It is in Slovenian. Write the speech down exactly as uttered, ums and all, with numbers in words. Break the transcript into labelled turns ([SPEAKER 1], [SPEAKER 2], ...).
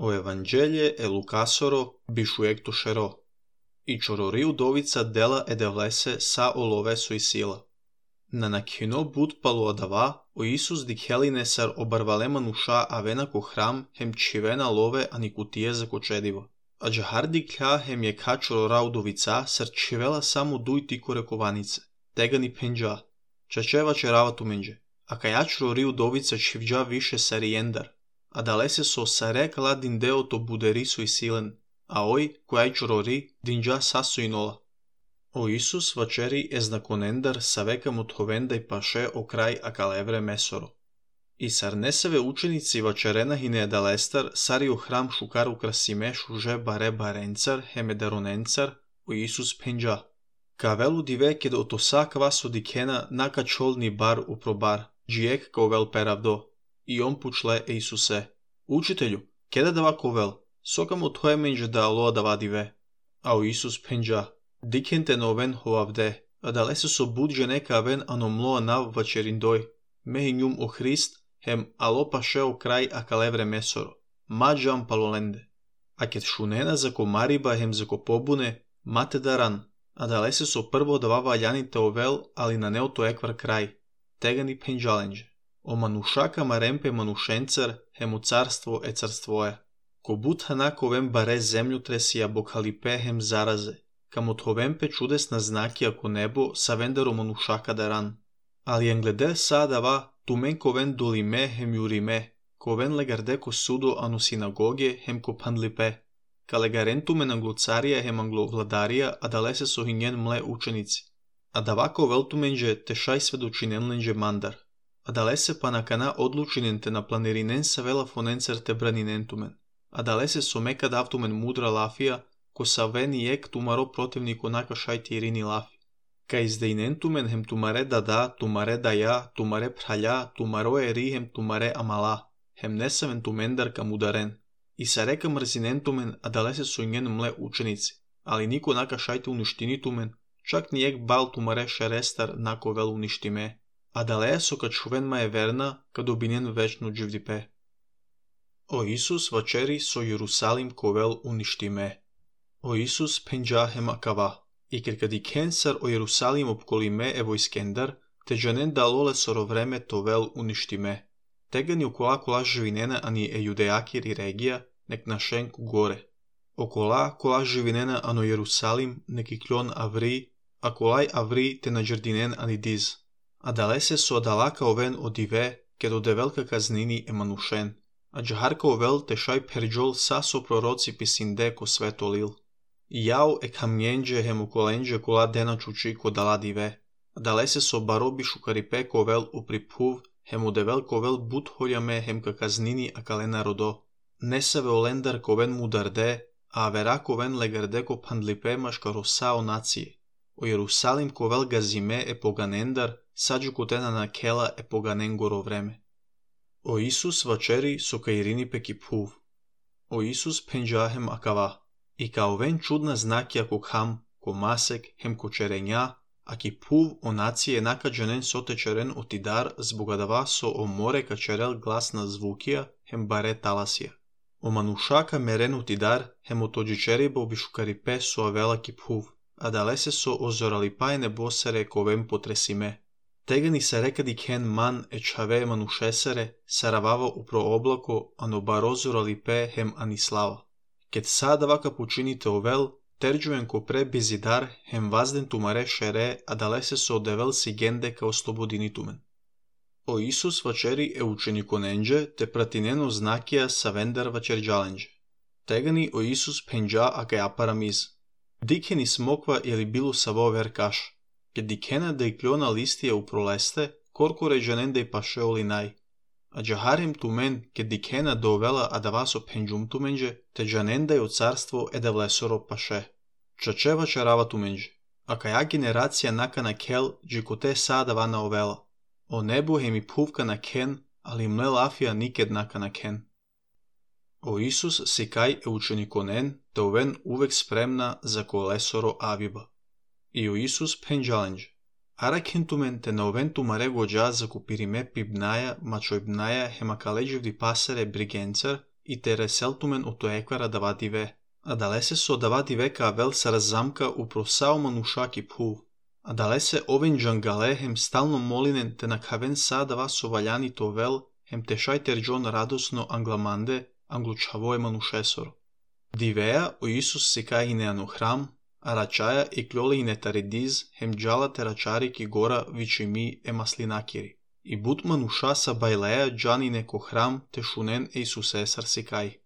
[SPEAKER 1] O Evangelje e Lukasoro bishuek tushero. I chorori udovica dela edevlese sa oloveso i sila. Na nakino bud palu adava, o Isus dikheline sar obarvalema nusha avena ko hram hem chivena love ani kutie za kočediva. A džahar dikha hem je ka chorora udovica sar chivela samo duj tiko rekovanice. Tega ni penja. Čačeva čerava tu menje. A kaja chorori udovica čivđa više sarijendar. A dalese so sare kala dindeo to buderisu i silen. A oj, kojaj chorori, dinđa sasu i nola. O Isus večeri eznakonendar saveka muthovendaj paše o kraj akalevre mesoro. I sar neseve učenici večerena hine dalestar sari o hram šukar ukrasime šuže bare barencar hemedaronencar o Isus penja. Kavelu dive ked otosa kvaso dikena naka čolni bar uprobar, džijek kovel peravdo. I on pučle e Isuse. Učitelju, keda dava kovel, sokam othoje menje da aloa dava dive. A o Isus penja. Dikente noven hoavde, a dalese so budže neka ven anomloa nav vačerindoj, mehi njum o Hrist, hem alo paše o kraj akalevre mesoro, mađam palolende. A ket šunena za ko mariba hem za ko pobune, mate daran, a dalese so prvo dva valjanite ovel, ali na neo to ekvar kraj, tega ni penđalenđe. O manušaka marempe manušencar, hem u carstvo e carstvoje. Ko bud hanako vem bare zemlju tresija bokhalipe hem zaraze. Kam othovempe čudesna znaki ako nebo sa vendero manušaka daran. Ali englede sadava tumen koven dolime hem jurime, koven legarde ko sudo anu sinagoge hem ko pandlipe. Ka legaren tumen anglocarija hem anglovladarija, a dalese so hinjen mle učenici. A davako veltumenđe tešaj svedočinenlenđe mandar. A dalese pa nakana odlučinen te na planerinen sa vela fonencer te braninen tumen. A dalese so meka davtumen mudra lafija, ko sa veni ek tumaro protivniku naka šajti irini lafi. Ka izdejnen tumen hem tumare dada, tumare daja, tumare pralja, tumaro eri hem tumare amala, hem nesaven tumendar kam udaren. I sa reka mrzinen tumen, a dalese su njen mle učenici, ali niko naka šajti uništini tumen, čak ni ek bal tumare šerestar nako vel uništime, a daleja so kad šuven ma je verna, kad obinjen večnu dživdipe. O Isus večeri so Jerusalim kovel uništime. O Isus penja hem akava, i ker kad iken sar o Jerusalim opkolime evo iskendar, te džanen dalole soro vreme to vel uništime. Tega ni okola kola živinena ani e judejakir i regija, nek našenku gore. Okola kola živinena ano Jerusalim, neki kljon avri, a kolaj avri te nađerdinen ani diz. A dalese so dalaka oven odive, ked ode velika kaznini emanušen. A džaharka ovel te šaj perđol saso proroci pisinde ko sveto lil. Jao e kamnjenđe hem ukolenđe kola dena čuči ko dala dive. A dalese so barobi šukaripe kovel upripuv, hem udevel kovel but holjame hem ka kaznini a kalena rodo. Nesave olendar koven mudarde, a avera koven legarde ko pandlipe maška rosa o nacije. O Jerusalim kovel gazime e poganendar, sađu kotena na kela e poganen goro vreme. O Isus večeri so ka irini peki puv. O Isus penđahem akava. I kao ven čudna znakija ko ham, ko masek, hem ko čerenja, a ki puv o nacije naka džanen sote čeren otidar zbogadava so o more ka čerel glasna zvukija, hem bare talasija. O manušaka meren otidar, hem o tođičeribo bišukaripe so avela ki puv, a dalese so ozoralipajne bosere ko ven potresime. Tega ni se reka diken man e čave manušesere, saravava upro oblako, ano barozoralipe hem anislava. Ket sada vaka počinite ovel, terđujem ko pre bizidar, hem vazden tumare šere, a dalese so odevel si gende ka oslobodini tumen. O Isus večeri e učenikonenđe, te pratineno znakija sa vendar vačerđalenđe. Tegani o Isus penđa a ka aparamiz. Dikeni smokva ili bilu savo verkaš. Ket dikena da i kljona listija u proleste, korko ređanen da i paše olinaj. A džaharim tumen, ket dikena dovela a da vaso penđum tumenđe, te džanen da je o carstvo e da vlesoro paše. Čačeva čarava tumenđe. A kaja generacija naka na kel, džikote sada vana ovela. O nebu hem i puvka na ken, ali mle lafija niked naka na ken. O Isus si kaj e učenikonen, te oven uvek spremna za kolesoro aviba. I o Isus penđalenđe. Arakentumen te na oven tumare gođa za kupirime pibnaja, mačojbnaja, hemakaleđivdi pasare brigencar, и те реселтумен ото еквара дава диве. А дале се со дава диве ка авел се разамка упросао манушак и пхув. А дале се овен джангале хем стално молинен те накавен са дава соваляни товел хем те шайтер джон радосно англаманде англучавое манушесор. Дивея о Исус се кај инеано храм, а рачаја и клјоле инетаредиз хем джала те рачари ки гора вичеми е маслинакири. И бут мануша са бајлеја джани неко храм те шунен е Исусесар се кај.